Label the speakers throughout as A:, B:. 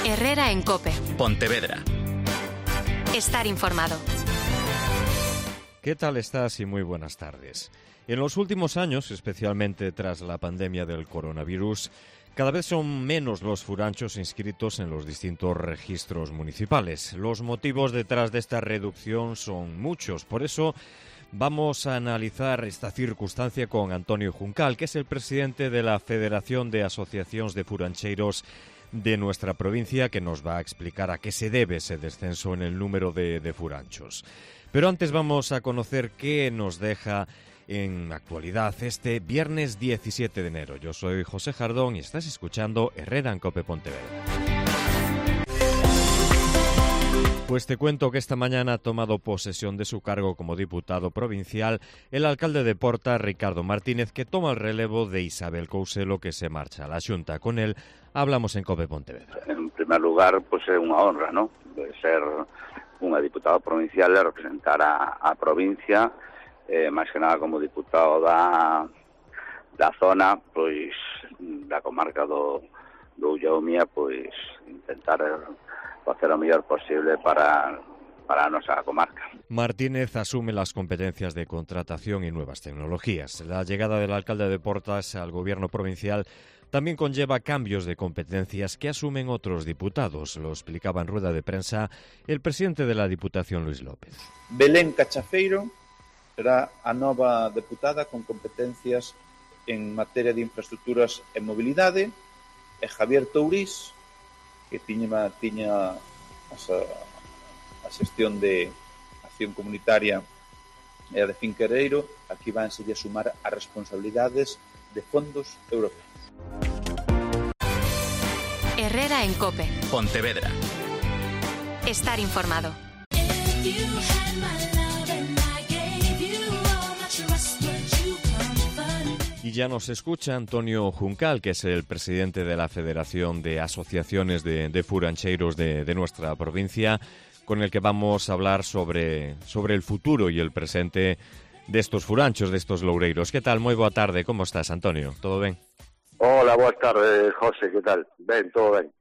A: Herrera en COPE.
B: Pontevedra.
A: Estar informado.
C: ¿Qué tal estás y muy buenas tardes? En los últimos años, especialmente tras la pandemia del coronavirus, cada vez son menos los furanchos inscritos en los distintos registros municipales. Los motivos detrás de esta reducción son muchos. Por eso vamos a analizar esta circunstancia con Antonio Juncal, que es el presidente de la Federación de Asociaciones de Furancheiros de nuestra provincia, que nos va a explicar a qué se debe ese descenso en el número de furanchos. Pero antes vamos a conocer qué nos deja en actualidad este viernes 17 de enero. Yo soy José Jardón y estás escuchando Herrera en COPE Pontevedra. Pues te cuento que esta mañana ha tomado posesión de su cargo como diputado provincial el alcalde de Porta, Ricardo Martínez, que toma el relevo de Isabel Couselo, que se marcha a la Xunta. Con él hablamos en COPE Pontevedra.
D: En primer lugar, pues é unha honra, ¿no?, de ser unha diputada provincial e representar a provincia, máis que nada como diputado da zona, pois da comarca do Ullaumia, pois intentar facer o mellor posible para a nosa comarca.
C: Martínez asume las competencias de contratación y nuevas tecnologías. La llegada del alcalde de Portas al gobierno provincial también conlleva cambios de competencias que asumen otros diputados. Lo explicaba en rueda de prensa el presidente de la Diputación, Luis López.
E: Belén Cachafeiro será a nova deputada con competencias en materia de infraestructuras e mobilidade, e Javier Tourís, que tiña a xestión de acción comunitaria e a de Finquereiro, aquí vanse a sumar as responsabilidades de fondos europeos.
A: Herrera en COPE.
B: Pontevedra.
A: Estar informado.
C: Y ya nos escucha Antonio Juncal, que es el presidente de la Federación de Asociaciones de Furancheiros de nuestra provincia, con el que vamos a hablar sobre el futuro y el presente de estos furanchos, de estos loureiros. ¿Qué tal? Moi boa tarde. Como estás, Antonio? Todo ben?
D: Hola, boas tardes, José, que tal? Ben, todo ben.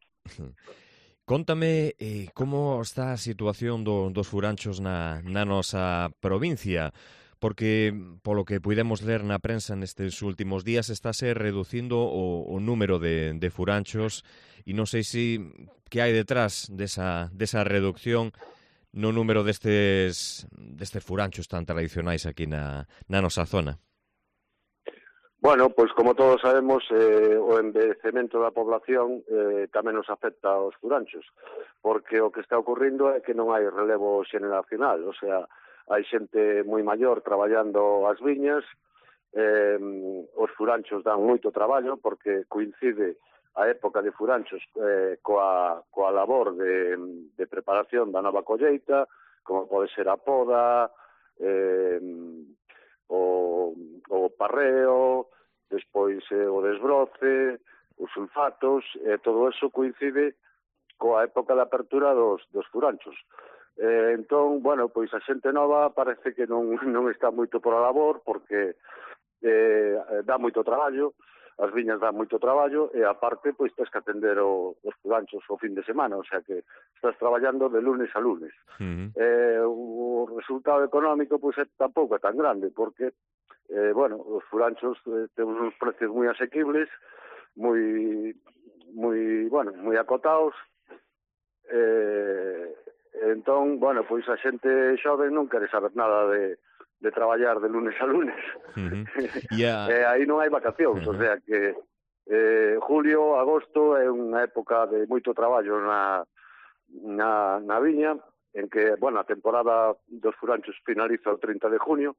C: Cóntame como está a situación dos furanchos na nosa provincia, porque polo que puidemos ler na prensa nestes últimos días estáse reducindo o número de furanchos e non sei se que hai detrás desa reducción no número destes furanchos tan tradicionais aquí na nosa zona.
F: Bueno, pois como todos sabemos, o envellecemento da población tamén nos afecta aos furanchos, porque o que está ocurrindo é que non hai relevo xeneracional, o sea, hai xente moi maior traballando as viñas, os furanchos dan moito traballo porque coincide a época de furanchos coa labor de preparación da nova colleita, como pode ser a poda, o parreo, despois o desbroce, os sulfatos, todo eso coincide coa época de apertura dos furanchos. Entón, bueno, pois a xente nova parece que non está moito por a labor porque dá moito traballo, as viñas dan moito traballo e aparte pois tens que atender os furanchos o fin de semana, o sea que estás traballando de lunes a lunes. O resultado económico pois tampouco é tan grande porque bueno, os furanchos temos uns precios moi asequibles, moi acotados, entón, bueno, pois a xente xoven non quere saber nada de traballar de lunes a lunes. Aí non hai vacacións, o sea que julio, agosto é unha época de moito traballo na viña, en que, bueno, a temporada dos furanchos finaliza o 30 de junio,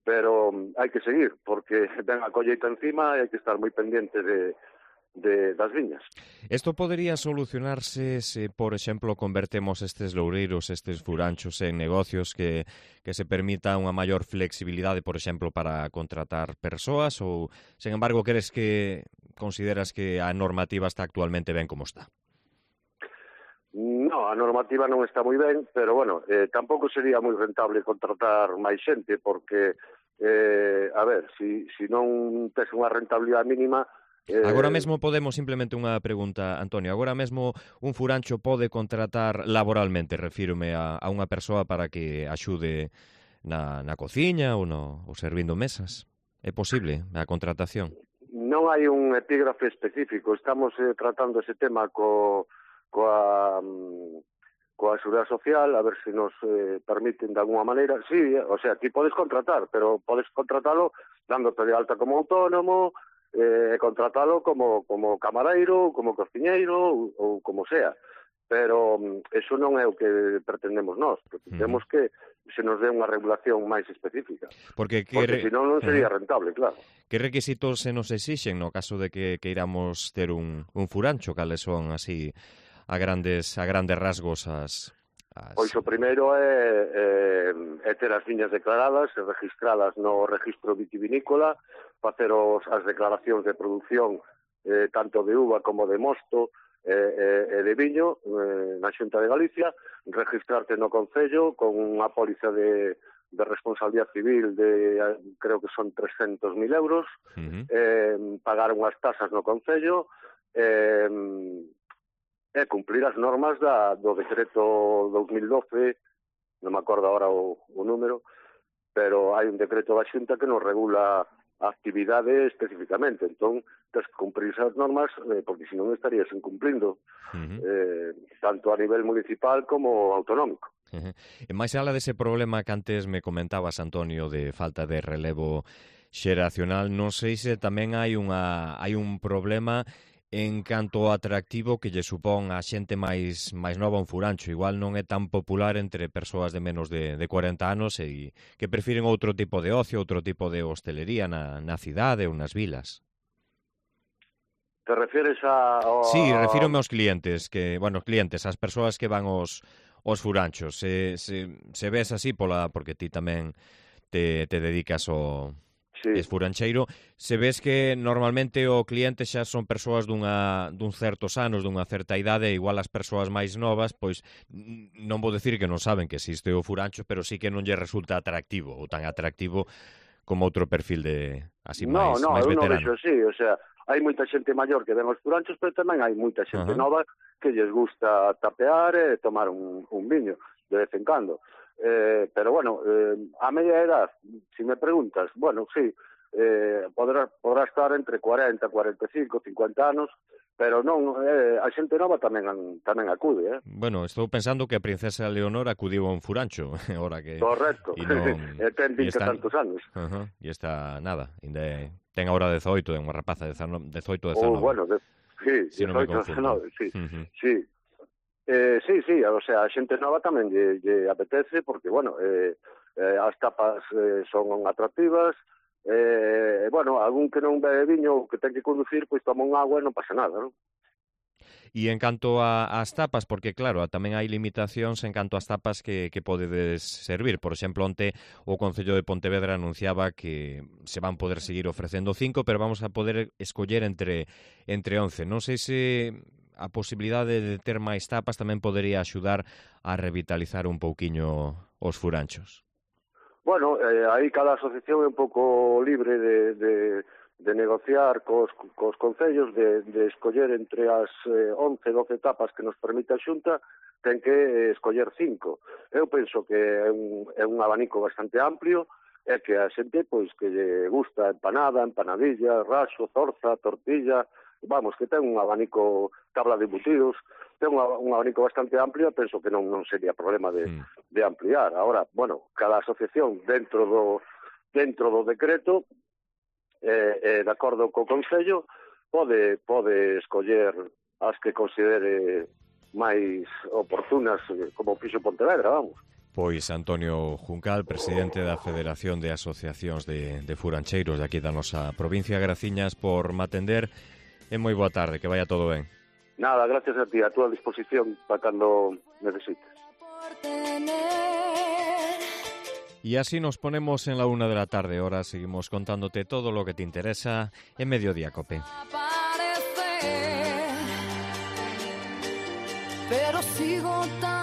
F: pero hai que seguir, porque ven a colleita encima e hai que estar moi pendiente das viñas.
C: Esto podería solucionarse se, por exemplo, convertemos estes loureiros, estes furanchos en negocios que se permita unha maior flexibilidade, por exemplo, para contratar persoas, ou, sen embargo, consideras que a normativa está actualmente ben como está?
F: No, a normativa non está moi ben, pero, bueno, tampouco sería moi rentable contratar máis xente, porque, a ver, se non tes unha rentabilidade mínima,
C: Agora mesmo podemos, simplemente unha pregunta, Antonio, agora mesmo un furancho pode contratar laboralmente, refírome a unha persoa para que axude na cociña ou servindo mesas? É posible a contratación?
F: Non hai un epígrafe específico, estamos tratando ese tema coa Seguridade Social, a ver se nos permiten de alguna maneira. Sí, o sea, ti podes contratar, pero podes contratalo dándote de alta como autónomo, contratalo como camareiro, como cociñeiro ou como sea. Pero eso non é o que pretendemos nós. Pretendemos que se nos dé unha regulación máis específica. Porque senón non sería rentable, claro.
C: Que requisitos se nos exixen no caso de que queiramos ter un furancho? Cales son, así, a grandes rasgos as...
F: Pois o primeiro é ter as viñas declaradas e registradas no registro vitivinícola, facer as declaracións de produción tanto de uva como de mosto e de viño na Xunta de Galicia, registrarte no Concello con unha póliza de responsabilidade civil de, creo que son 300.000 euros, pagar unhas tasas no Concello, cumplir as normas do decreto 2012, non me acordo agora o número, pero hai un decreto da Xunta que nos regula a actividade especificamente, entón tens que cumprir esas normas porque senón estarías incumplindo tanto a nivel municipal como autonómico.
C: E máis alá dese problema que antes me comentabas, Antonio, de falta de relevo xeracional, non sei se tamén hai un problema en canto ao atractivo que lle supón a xente máis nova un furancho. Igual non é tan popular entre persoas de menos de 40 anos e que prefiren outro tipo de ocio, outro tipo de hostelería na cidade ou nas vilas.
F: Te refieres a...
C: Sí, refírome aos clientes, as persoas que van aos furanchos. Se ves así porque ti tamén te dedicas ao... Sí. Es furancheiro, se ves que normalmente o cliente xa son persoas dun certos anos, dunha certa idade, igual as persoas máis novas, pois non vou decir que non saben que existe o furancho, pero sí que non lle resulta atractivo, ou tan atractivo como outro perfil de así máis veterano.
F: Non, eu non vexo así, o sea, hai moita xente maior que ven os furanchos, pero tamén hai moita xente nova que lles gusta tapear e tomar un viño de vez en cando. Pero bueno, a media edad, si me preguntas, bueno, sí, podrá estar entre 40, 45, 50 anos, pero non, a xente nova tamén acude,
C: Bueno, estou pensando que a princesa Leonor acudiu a un furancho, ahora que...
F: Correcto, ten 20 tantos anos.
C: E está, nada, ten agora 18, é unha rapaza de 18, 19.
F: Bueno, sí, 18, 19, sí, sí. Sí, o sea, a xente nova tamén lle apetece porque, bueno, as tapas son atractivas, bueno, algún que non bebe viño ou que ten que conducir, pois toma un agua e non pasa nada, non?
C: E en canto ás tapas, porque claro, tamén hai limitacións en canto ás tapas que podedes servir. Por exemplo, onte o Concello de Pontevedra anunciaba que se van poder seguir ofrecendo 5, pero vamos a poder escoller entre 11. Non sei se a posibilidade de ter máis tapas tamén podería axudar a revitalizar un pouquiño os furanchos.
F: Bueno, aí cada asociación é un pouco libre de negociar cos concellos, de escoller entre as 11, 12 tapas que nos permite a Xunta, ten que escoller 5. Eu penso que é un abanico bastante amplio, e que a xente, pois, que lle gusta empanada, empanadilla, raxo, zorza, tortilla, vamos, que ten un abanico, tabla de embutidos, ten un abanico bastante amplio, penso que non sería problema de ampliar. Ahora, bueno, cada asociación dentro do decreto, de acordo co Concello, pode escoller as que considere máis oportunas, como fixo Pontevedra, vamos.
C: Pois Antonio Juncal, presidente da Federación de Asociacións de Furancheiros de aquí da nosa provincia, graciñas por me atender. E moi boa tarde, que vaya todo ben.
F: Nada, gracias a ti, a túa disposición para cando necesites.
C: Y así nos ponemos en la 1 de la tarde. Ahora seguimos contándote todo lo que te interesa en Mediodía Cope.
B: Pero sigo tan